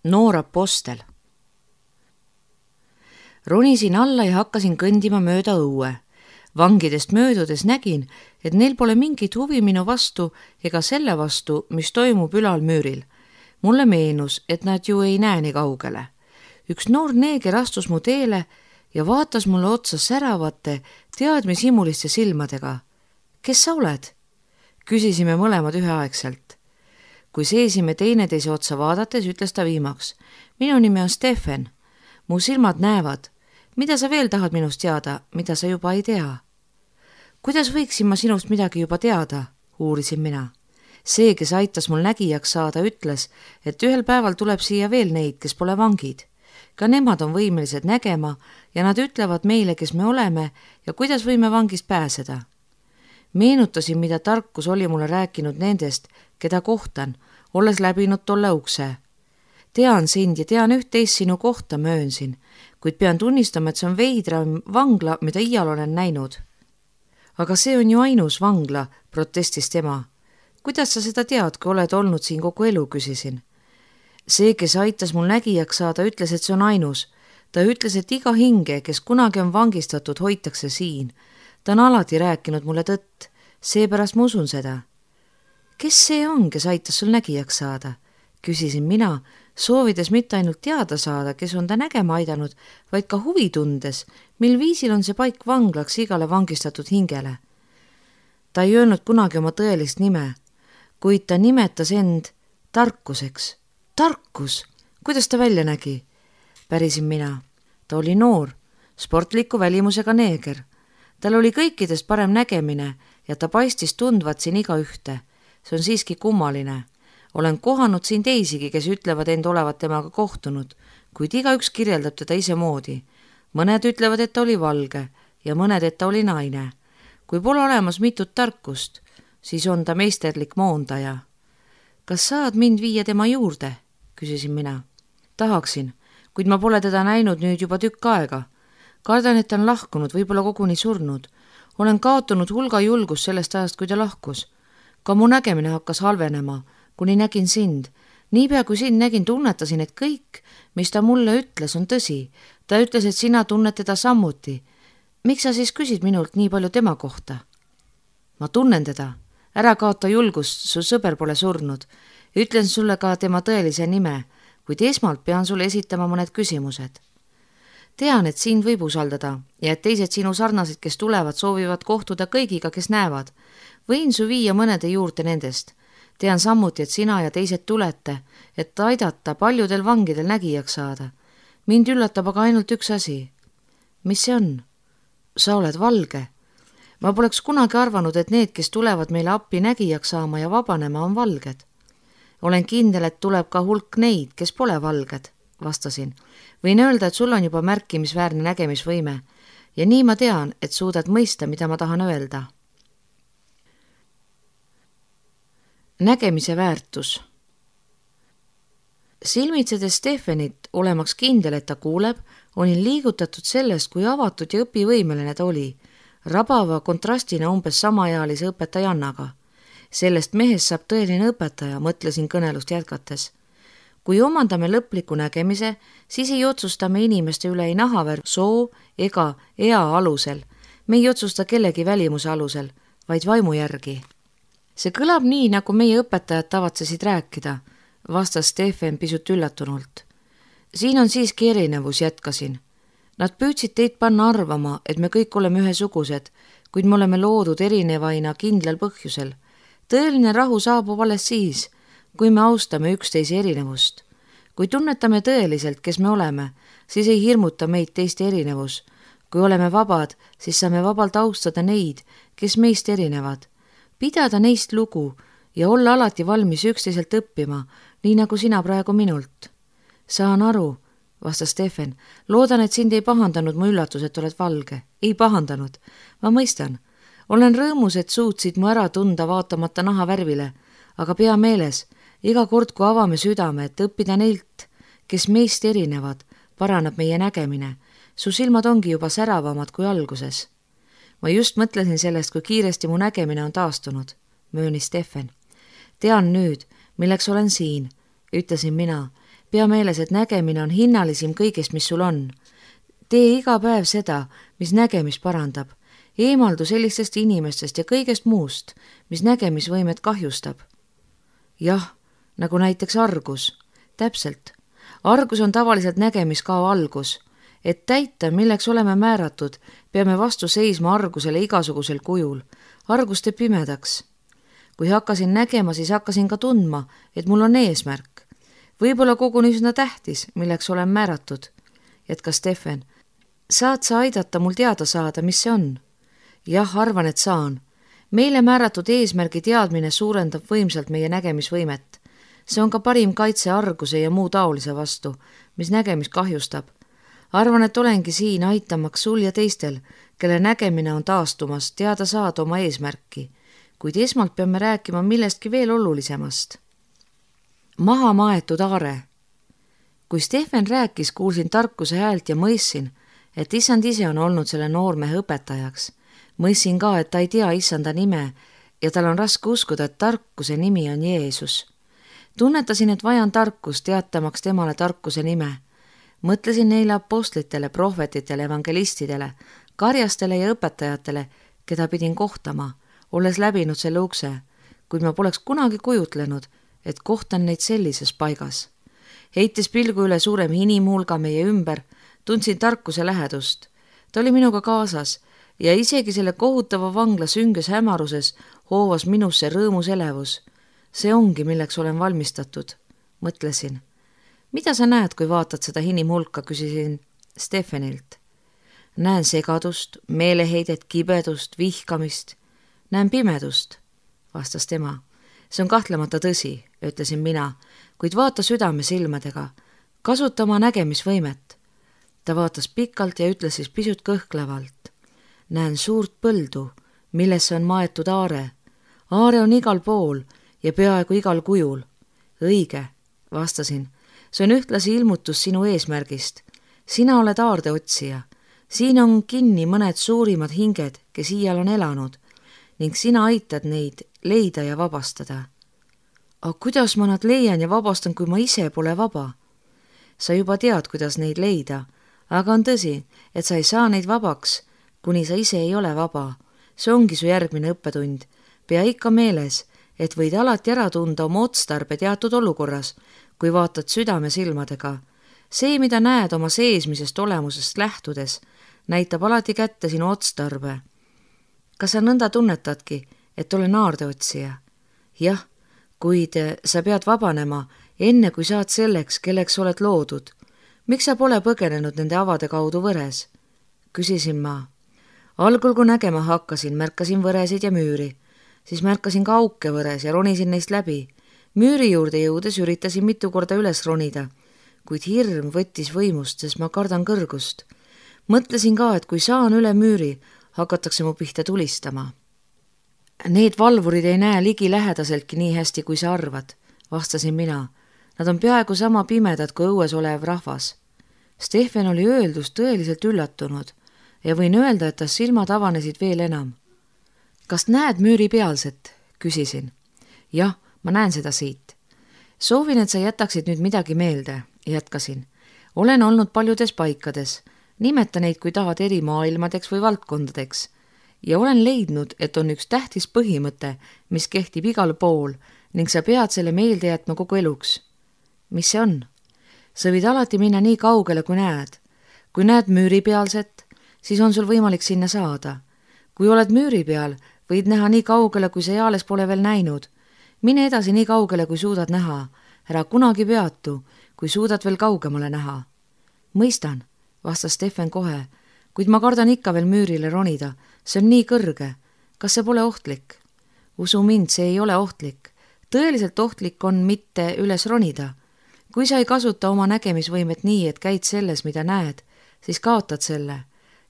noor apostel. Ronisin alla ja hakkasin kõndima mööda õue. Vangidest möödudes nägin, et neil pole mingit huvi minu vastu ega selle vastu, mis toimub ülal müüril. Mulle meenus, et nad ju ei näe nii kaugele. Üks noor neeger astus mu teele ja vaatas mulle otsa säravate, teadmishimuliste silmadega. Kes sa oled? Küsisime mõlemad üheaegselt. Kui seisime teineteise otsa vaadates, ütles ta viimaks. Minu nimi on Stefan. Mu silmad näevad. Mida sa veel tahad minust teada, mida sa juba ei tea? Kuidas võiksin ma sinust midagi juba teada? Uurisin mina. See, kes aitas mul nägijaks saada, ütles, et ühel päeval tuleb siia veel neid, kes pole vangid. Ka nemad on võimelised nägema ja nad ütlevad meile, kes me oleme ja kuidas võime vangist pääseda. Meenutasin, mida tarkus oli mulle rääkinud nendest, keda kohtan, olles läbinud tolle ukse. Tean sind ja tean üht-teist sinu kohta, möönsin, kuid pean tunnistama, et see on veidram vangla, mida iial olen näinud. Aga see on ju ainus vangla, protestis tema. Kuidas sa seda tead, kui oled olnud siin kogu elu, küsisin. See, kes aitas mul nägijaks saada, ütles, et see on ainus. Ta ütles, et iga hinge, kes kunagi on vangistatud, hoitakse siin. Ta on alati rääkinud mulle tõtt, seepärast ma usun seda. Kes see on, kes aitas sul nägijaks saada? Küsisin mina, soovides mitte ainult teada saada, kes on ta nägema aidanud, vaid ka huvi tundes, mil viisil on see paik vanglaks igale vangistatud hingele. Ta ei öelnud kunagi oma tõelist nime, kuid ta nimetas end tarkuseks. Tarkus! Kuidas ta välja nägi? Pärisin mina. Ta oli noor, sportliku välimusega neeger. Tal oli kõikidest parem nägemine ja ta paistis tundvat siin iga ühte. See on siiski kummaline. Olen kohanud siin teisigi, kes ütlevad end olevat temaga kohtunud, kuid igaüks kirjeldab teda ise moodi. Mõned ütlevad, et ta oli valge ja mõned, et ta oli naine. Kui pole olemas mitut tarkust, siis on ta meisterlik moondaja. Kas saad mind viia tema juurde? Küsisin mina. Tahaksin, kuid ma pole teda näinud nüüd juba tükk aega. Kardan, et ta on lahkunud, võib-olla koguni surnud. Olen kaotanud hulga julgust sellest ajast, kui ta lahkus. Ka mu nägemine hakkas halvenema, kuni nägin sind. Niipea kui sind nägin, tunnetasin, et kõik, mis ta mulle ütles, on tõsi. Ta ütles, et sina tunned teda samuti. Miks sa siis küsid minult nii palju tema kohta? Ma tunnen teda. Ära kaota julgust, su sõber pole surnud. Ütlen sulle ka tema tõelise nime, kuid esmalt pean sulle esitama mõned küsimused. Tean, et sind võib usaldada ja et teised sinu sarnased, kes tulevad, soovivad kohtuda kõigiga, kes näevad. Võin su viia mõnede juurde nendest. Tean samuti, et sina ja teised tulete, et aidata paljudel vangidel nägijaks saada. Mind üllatab aga ainult üks asi. Mis see on? Sa oled valge. Ma poleks kunagi arvanud, et need, kes tulevad meile appi nägijaks saama ja vabanema, on valged. Olen kindel, et tuleb ka hulk neid, kes pole valged, vastasin. Võin öelda, et sul on juba märkimisväärne nägemisvõime ja nii ma tean, et suudad mõista, mida ma tahan öelda. Nägemise väärtus. Silmitsedes Stefanit, olemaks kindel, et ta kuuleb, olin liigutatud sellest, kui avatud ja õpivõimeline ta oli, rabava kontrastina umbes samaealise õpetajannaga. Sellest mehest saab tõeline õpetaja, mõtlesin kõnelust jätkates. Kui omandame lõpliku nägemise, siis ei otsusta me inimeste üle ei nahavärv, soo ega ea alusel. Me ei otsusta kellegi välimuse alusel, vaid vaimu järgi. See kõlab nii, nagu meie õpetajad tavatsesid rääkida, vastas Stefan pisut üllatunult. Siin on siiski erinevus, jätkasin. Nad püüdsid teid panna arvama, et me kõik oleme ühesugused, kuid me oleme loodud erinevaina kindlal põhjusel. Tõeline rahu saabub alles siis, kui me austame üksteise erinevust. Kui tunnetame tõeliselt, kes me oleme, siis ei hirmuta meid teiste erinevus. Kui oleme vabad, siis saame vabalt austada neid, kes meist erinevad. Pidada neist lugu ja olla alati valmis üksteiselt õppima, nii nagu sina praegu minult. Saan aru, vastas Stefan. Loodan, et sind ei pahandanud mu üllatus, et oled valge. Ei pahandanud. Ma mõistan. Olen rõõmus, et suutsid mu ära tunda vaatamata naha värvile, aga pea meeles, iga kord, kui avame südame, et õppida neilt, kes meist erinevad, paraneb meie nägemine. Su silmad ongi juba säravamad kui alguses. Ma just mõtlesin sellest, kui kiiresti mu nägemine on taastunud, möönis Stefan. Tean nüüd, milleks olen siin, ütlesin mina. pea meeles, et nägemine on hinnalisim kõigest, mis sul on. Tee iga päev seda, mis nägemist parandab. Eemaldu sellistest inimestest ja kõigest muust, mis nägemisvõimet kahjustab. Jah, nagu näiteks argus. Täpselt. Argus on tavaliselt nägemiskao algus. Et täita, milleks oleme määratud, peame vastu seisma argusele igasugusel kujul. Argus teeb pimedaks. Kui hakkasin nägema, siis hakkasin ka tundma, et mul on eesmärk. Võib-olla koguni üsna tähtis, milleks olen määratud. Jätkas Stefan. Saad sa aidata mul teada saada, mis see on? Jah, arvan, et saan. Meile määratud eesmärgi teadmine suurendab võimsalt meie nägemisvõimet. See on ka parim kaitse arguse ja muu taolise vastu, mis nägemist kahjustab. Arvan, et olengi siin aitamaks sul ja teistel, kelle nägemine on taastumas, teada saada oma eesmärki, kuid esmalt peame rääkima millestki veel olulisemast. Maha maetud aare. Kui Stefan rääkis, kuulsin tarkuse häält ja mõistsin, et issand ise on olnud selle noormehe õpetajaks. Mõistsin ka, et ta ei tea issanda nime ja tal on raske uskuda, et tarkuse nimi on Jeesus. Tunnetasin, et vajan tarkust teatamaks temale tarkuse nime. Mõtlesin neile apostlitele, prohvetitele, evangelistidele, karjastele ja õpetajatele, keda pidin kohtama, olles läbinud selle ukse, kuid ma poleks kunagi kujutlenud, et kohtan neid sellises paigas. Heites pilgu üle suurem inimhulga meie ümber, tundsin tarkuse lähedust. Ta oli minuga kaasas ja isegi selle kohutava vangla sünges hämaruses hoovas minusse rõõmus elevus. See ongi, milleks olen valmistatud, mõtlesin. Mida sa näed, kui vaatad seda inimhulka, küsisin Stefanilt. Näen segadust, meeleheidet, kibedust, vihkamist. Näen pimedust, vastas tema. See on kahtlemata tõsi, ütlesin mina, kuid vaata südame silmadega. Kasuta oma nägemisvõimet. Ta vaatas pikalt ja ütles siis pisut kõhklevalt. Näen suurt põldu, millesse on maetud aare. Aare on igal pool ja peaaegu igal kujul. Õige, vastasin. See on ühtlasi ilmutus sinu eesmärgist. Sina oled aarde otsija. Siin on kinni mõned suurimad hinged, kes iial on elanud, ning sina aitad neid leida ja vabastada. Aga kuidas ma nad leian ja vabastan, kui ma ise pole vaba? Sa juba tead, kuidas neid leida, aga on tõsi, et sa ei saa neid vabaks, kuni sa ise ei ole vaba. See ongi su järgmine õppetund. Pea ikka meeles, et võid alati ära tunda oma otstarbe teatud olukorras, kui vaatad südame silmadega. See, mida näed oma seesmisest olemusest lähtudes, näitab alati kätte sinu otstarbe. Kas sa nõnda tunnetadki, et olen aardeotsija? Jah, kuid sa pead vabanema, enne kui saad selleks, kelleks oled loodud. Miks sa pole põgenenud nende avade kaudu võres? Küsisin ma. Algul, kui nägema hakkasin, märkasin võresid ja müüri. Siis märkasin ka auke võres ja ronisin neist läbi. Müüri juurde jõudes üritasin mitu korda üles ronida, kuid hirm võttis võimust, sest ma kardan kõrgust. Mõtlesin ka, et kui saan üle müüri, hakatakse mu pihta tulistama. Need valvurid ei näe ligi lähedaseltki nii hästi, kui sa arvad, vastasin mina. Nad on peaaegu sama pimedad kui õues olev rahvas. Stefan oli öeldust tõeliselt üllatunud ja võin öelda, et ta silmad avanesid veel enam. Kas näed müüri pealset? Küsisin. Jah, ma näen seda siit. Soovin, et sa jätaksid nüüd midagi meelde, jätkasin. Olen olnud paljudes paikades. Nimeta neid, kui tahad, eri maailmadeks või valdkondadeks. Ja olen leidnud, et on üks tähtis põhimõte, mis kehtib igal pool ning sa pead selle meelde jätma kogu eluks. Mis see on? Sa võid alati minna nii kaugele, kui näed. Kui näed müüri pealset, siis on sul võimalik sinna saada. Kui oled müüri peal, võid näha nii kaugele, kui sa eales pole veel näinud. Mine edasi nii kaugele, kui suudad näha. Ära kunagi peatu, kui suudad veel kaugemale näha. Mõistan, vastas Stefan kohe, kuid ma kardan ikka veel müürile ronida. See on nii kõrge. Kas see pole ohtlik? Usu mind, see ei ole ohtlik. Tõeliselt ohtlik on mitte üles ronida. Kui sa ei kasuta oma nägemisvõimet nii, et käid selles, mida näed, siis kaotad selle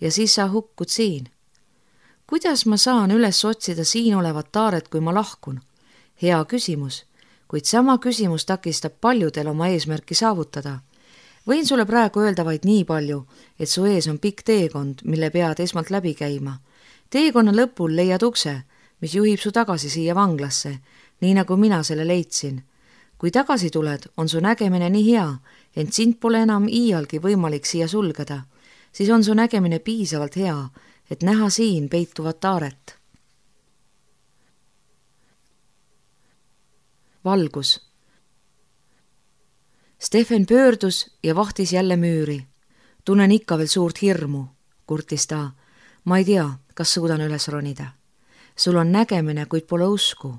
ja siis sa hukkud siin. Kuidas ma saan üles otsida siin olevat taaret, kui ma lahkun? Hea küsimus, kuid sama küsimus takistab paljudel oma eesmärki saavutada. Võin sulle praegu öelda vaid nii palju, et su ees on pikk teekond, mille pead esmalt läbi käima. Teekonna lõpul leiad ukse, mis juhib su tagasi siia vanglasse, nii nagu mina selle leidsin. kui tagasi tuled, on su nägemine nii hea, ent sind pole enam iialgi võimalik siia sulgeda, siis on su nägemine piisavalt hea, et näha siin peituvat taaret. Valgus. Stefan pöördus ja vahtis jälle müüri. Tunnen ikka veel suurt hirmu, kurtis ta. Ma ei tea, kas suudan üles ronida. Sul on nägemine, kuid pole usku.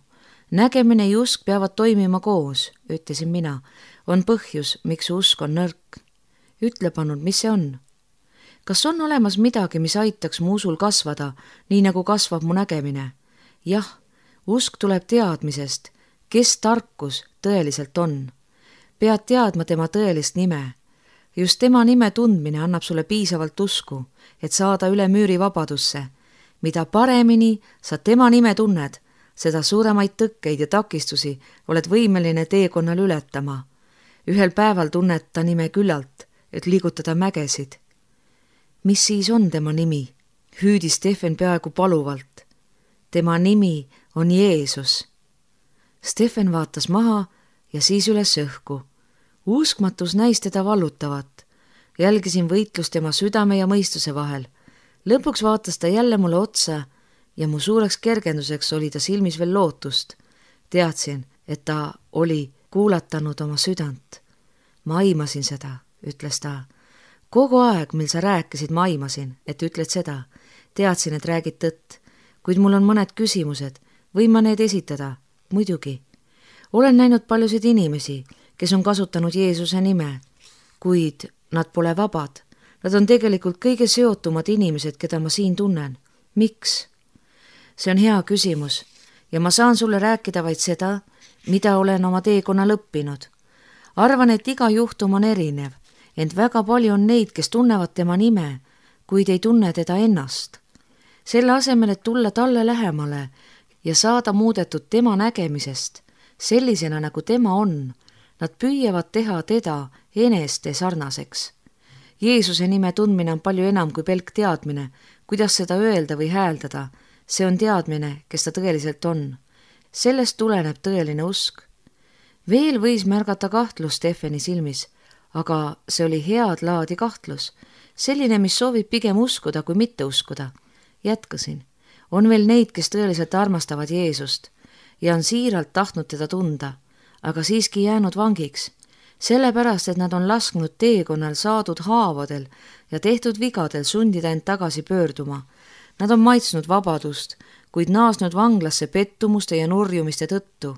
Nägemine ja usk peavad toimima koos, ütlesin mina. On põhjus, miks su usk on nõrk. Ütle pannud, mis see on? Kas on olemas midagi, mis aitaks mu usul kasvada, nii nagu kasvab mu nägemine? Jah, usk tuleb teadmisest, kes tarkus tõeliselt on. Pead teadma tema tõelist nime. Just tema nime tundmine annab sulle piisavalt usku, et saada üle müüri vabadusse. Mida paremini sa tema nime tunned, seda suuremaid tõkkeid ja takistusi oled võimeline teekonnal ületama. Ühel päeval tunned ta nime küllalt, et liigutada mägesid. Mis siis on tema nimi? Hüüdis Stefan peaaegu paluvalt. Tema nimi on Jeesus. Stefan vaatas maha ja siis üles õhku. Uskmatus näis teda vallutavat. Jälgisin võitlust tema südame ja mõistuse vahel. Lõpuks vaatas ta jälle mulle otsa ja mu suureks kergenduseks oli ta silmis veel lootust. Teadsin, et ta oli kuulatanud oma südant. Ma aimasin seda, ütles ta. Kogu aeg, mil sa rääkisid, ma aimasin, et ütled seda. Teadsin, et räägid tõtt, kuid mul on mõned küsimused. Võin ma need esitada? Muidugi. Olen näinud paljusid inimesi, kes on kasutanud Jeesuse nime, kuid nad pole vabad. Nad on tegelikult kõige seotumad inimesed, keda ma siin tunnen. Miks? See on hea küsimus ja ma saan sulle rääkida vaid seda, mida olen oma teekonnal õppinud. Arvan, et iga juhtum on erinev, ent väga palju on neid, kes tunnevad tema nime, kuid ei tunne teda ennast. Selle asemel, et tulla talle lähemale ja saada muudetud tema nägemisest, sellisena nagu tema on, nad püüavad teha teda eneste sarnaseks. Jeesuse nime tundmine on palju enam kui pelk teadmine, kuidas seda öelda või hääldada. See on teadmine, kes ta tõeliselt on. Sellest tuleneb tõeline usk. Veel võis märgata kahtlus Stefani silmis, aga see oli head laadi kahtlus. Selline, mis soovib pigem uskuda kui mitte uskuda. Jätkasin. On veel neid, kes tõeliselt armastavad Jeesust ja on siiralt tahtnud teda tunda, aga siiski jäänud vangiks. Sellepärast, et nad on lasknud teekonnal saadud haavadel ja tehtud vigadel sundida end tagasi pöörduma. Nad on maitsnud vabadust, kuid naasnud vanglasse pettumuste ja nurjumiste tõttu.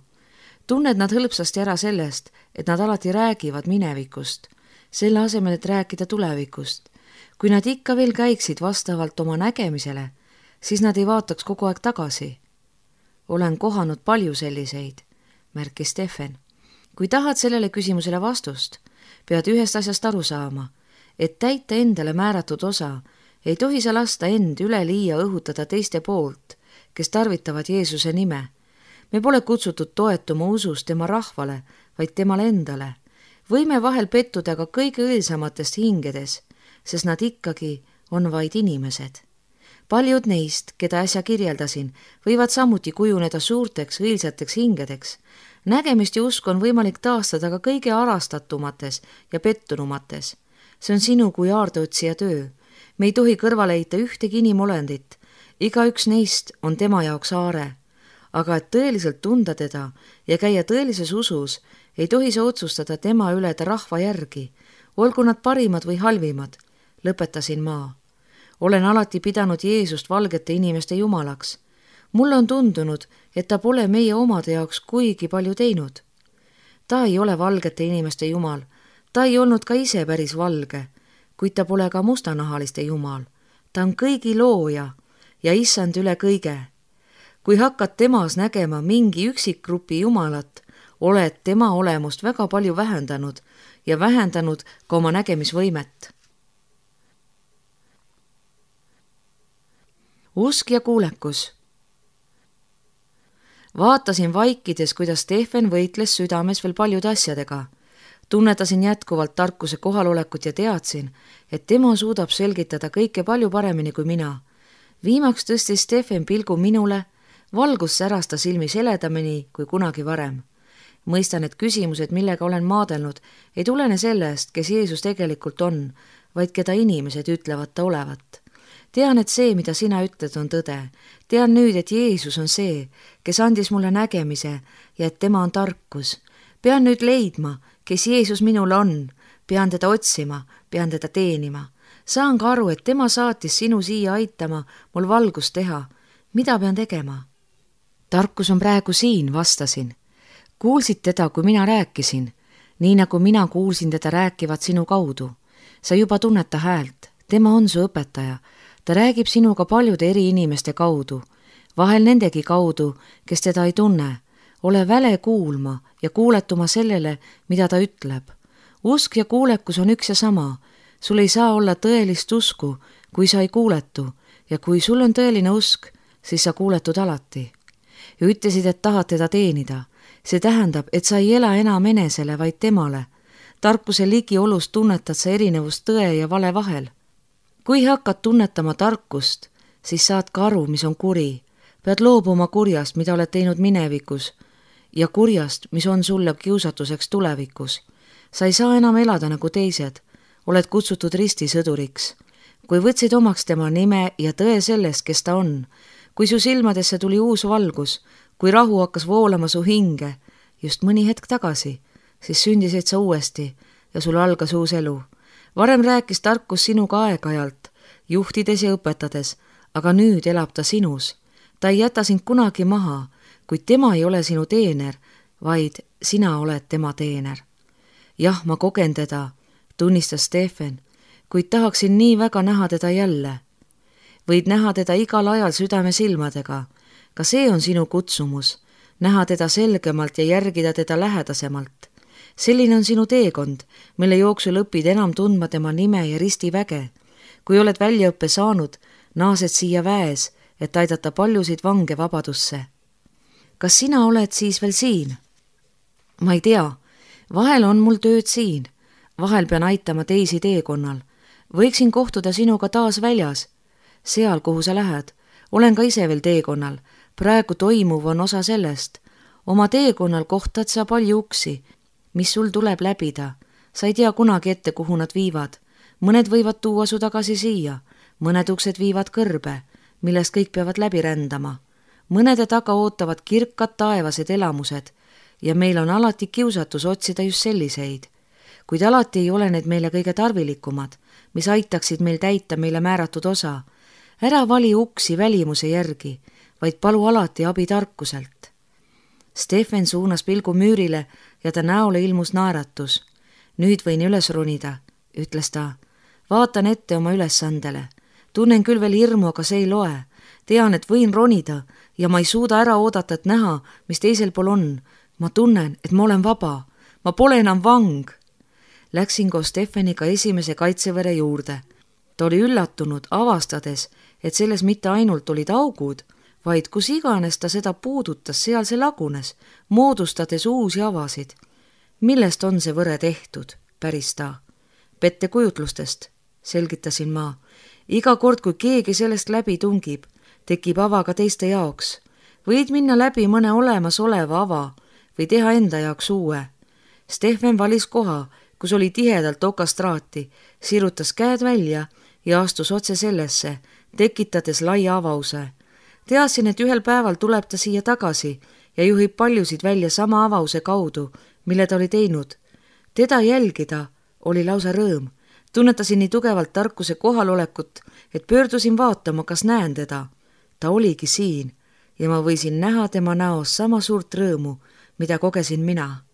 Tunned nad hõlpsasti ära sellest, et nad alati räägivad minevikust, selle asemel, et rääkida tulevikust. Kui nad ikka veel käiksid vastavalt oma nägemisele, siis nad ei vaataks kogu aeg tagasi. Olen kohanud palju selliseid, märkis Stefan. Kui tahad sellele küsimusele vastust, pead ühest asjast aru saama, et täita endale määratud osa, ei tohi sa lasta end üleliia õhutada teiste poolt, kes tarvitavad Jeesuse nime. Me pole kutsutud toetuma usus tema rahvale, vaid temale endale. Võime vahel pettuda ka kõige õilsamatest hingedes, sest nad ikkagi on vaid inimesed. Paljud neist, keda äsja kirjeldasin, võivad samuti kujuneda suurteks õilsateks hingedeks. Nägemist ja usk on võimalik taastada ka kõige arastatumates ja pettunumates. See on sinu kui aardeotsija töö. Me ei tohi kõrvale heita ühtegi inimolendit. Igaüks neist on tema jaoks aare. Aga et tõeliselt tunda teda ja käia tõelises usus, ei tohi sa otsustada tema üle ta rahva järgi. Olgu nad parimad või halvimad, lõpetasin ma. Olen alati pidanud Jeesust valgete inimeste jumalaks. Mulle on tundunud, et ta pole meie omade jaoks kuigi palju teinud. Ta ei ole valgete inimeste jumal. Ta ei olnud ka ise päris valge, kuid ta pole ka mustanahaliste jumal. Ta on kõigi looja ja issand üle kõige. Kui hakkad temas nägema mingi üksikgrupi jumalat, oled tema olemust väga palju vähendanud ja vähendanud ka oma nägemisvõimet. Usk ja kuulekus. Vaatasin vaikides, kuidas Stefan võitles südames veel paljude asjadega. Tunnetasin jätkuvalt tarkuse kohalolekut ja teadsin, et tema suudab selgitada kõike palju paremini kui mina. Viimaks tõstis Stefan pilgu minule, valgus säras ta silmis heledamini kui kunagi varem. mõistan, et küsimused, millega olen maadelnud, ei tulene sellest, kes Jeesus tegelikult on, vaid keda inimesed ütlevad ta olevat. Tean, et see, mida sina ütled, on tõde. Tean nüüd, et Jeesus on see, kes andis mulle nägemise ja et tema on tarkus. Pean nüüd leidma, kes Jeesus minul on. Pean teda otsima, pean teda teenima. Saan ka aru, et tema saatis sinu siia aitama mul valgust teha. Mida pean tegema? Tarkus on praegu siin, vastasin. Kuulsid teda, kui mina rääkisin, nii nagu mina kuulsin teda rääkivat sinu kaudu. Sa juba tunned ta häält, tema on su õpetaja. Ta räägib sinuga paljude eri inimeste kaudu, vahel nendegi kaudu, kes teda ei tunne. Ole väle kuulma ja kuuletuma sellele, mida ta ütleb. Usk ja kuulekus on üks ja sama. Sul ei saa olla tõelist usku, kui sa ei kuuletu, ja kui sul on tõeline usk, siis sa kuuletud alati. Ja ütlesid, et tahad teda teenida. See tähendab, et sa ei ela enam enesele, vaid temale. Tarkuse ligiolust tunnetad sa erinevust tõe ja vale vahel. Kui hakkad tunnetama tarkust, siis saad ka aru, mis on kuri. Pead loobuma kurjast, mida oled teinud minevikus, ja kurjast, mis on sulle kiusatuseks tulevikus. Sa ei saa enam elada nagu teised. Oled kutsutud ristisõduriks. Kui võtsid omaks tema nime ja tõe sellest, kes ta on, kui su silmadesse tuli uus valgus, kui rahu hakkas voolama su hinge, just mõni hetk tagasi, siis sündisid sa uuesti ja sul algas uus elu. Varem rääkis tarkus sinuga aeg-ajalt, juhtides ja õpetades, aga nüüd elab ta sinus. Ta ei jäta sind kunagi maha, kuid tema ei ole sinu teener, vaid sina oled tema teener. Jah, ma kogen teda, tunnistas Stefan, kuid tahaksin nii väga näha teda jälle. Võid näha teda igal ajal südame silmadega. Ka see on sinu kutsumus, näha teda selgemalt ja järgida teda lähedasemalt. Selline on sinu teekond, mille jooksul õpid enam tundma tema nime ja ristiväge. Kui oled väljaõppe saanud, naased siia väes, et aidata paljusid vange vabadusse. Kas sina oled siis veel siin? Ma ei tea, vahel on mul tööd siin, vahel pean aitama teisi teekonnal. Võiksin kohtuda sinuga taas väljas, seal, kuhu sa lähed. Olen ka ise veel teekonnal, praegu toimuv on osa sellest. Oma teekonnal kohtad sa palju uksi, mis sul tuleb läbida. Sa ei tea kunagi ette, kuhu nad viivad. Mõned võivad tuua su tagasi siia, mõned uksed viivad kõrbe, millest kõik peavad läbi rändama. Mõnede taga ootavad kirkad taevased elamused ja meil on alati kiusatus otsida just selliseid. Kuid alati ei ole need meile kõige tarvilikumad, mis aitaksid meil täita meile määratud osa. Ära vali uksi välimuse järgi, vaid palu alati abi tarkuselt. Stefan suunas pilgu müürile ja ta näole ilmus naeratus. Nüüd võin üles ronida, ütles ta. Vaatan ette oma ülesandele. Tunnen küll veel hirmu, aga see ei loe. Tean, et võin ronida ja ma ei suuda ära oodata, et näha, mis teisel pool on. Ma tunnen, et ma olen vaba. Ma pole enam vang. Läksin koos Stefaniga esimese kaitsevere juurde. Ta oli üllatunud, avastades, et selles mitte ainult olid augud, vaid kus iganes ta seda puudutas, seal see lagunes, moodustades uusi avasid. Millest on see võre tehtud, päris ta? Pettekujutlustest, selgitasin ma. Iga kord, kui keegi sellest läbi tungib, tekib ava ka teiste jaoks. Võid minna läbi mõne olemasoleva ava või teha enda jaoks uue. Stefan valis koha, kus oli tihedalt okastraati, sirutas käed välja ja astus otse sellesse, tekitades laia avause. Teadsin, et ühel päeval tuleb ta siia tagasi ja juhib paljusid välja sama avause kaudu, mille ta oli teinud. Teda jälgida oli lausa rõõm. Tunnetasin nii tugevalt tarkuse kohalolekut, et pöördusin vaatama, kas näen teda. Ta oligi siin ja ma võisin näha tema näos sama suurt rõõmu, mida kogesin mina.